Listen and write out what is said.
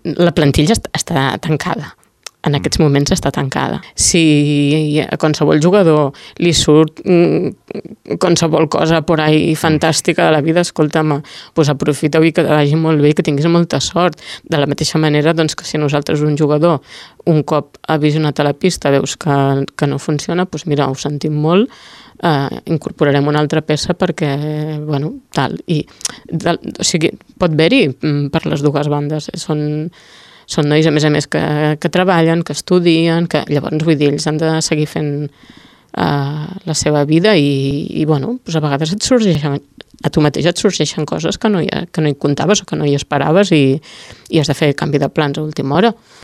la plantilla està tancada. En aquests moments està tancada. Si a qualsevol jugador li surt qualsevol cosa por ahí fantàstica de la vida, escolta'm, doncs aprofita-ho i que vagi molt bé i que tinguis molta sort. De la mateixa manera doncs, que si nosaltres un jugador un cop ha visionat a la pista veus que no funciona, doncs mira, ho sentim molt, incorporarem una altra peça perquè, bueno, tal. O sigui, pot haver-hi per les dues bandes. Són nois, a més, que treballen, que estudien, que llavors, vull dir, ells han de seguir fent la seva vida i bueno, doncs a vegades a tu mateix et sorgeixen coses que no hi comptaves o que no hi esperaves i has de fer canvi de plans a última hora.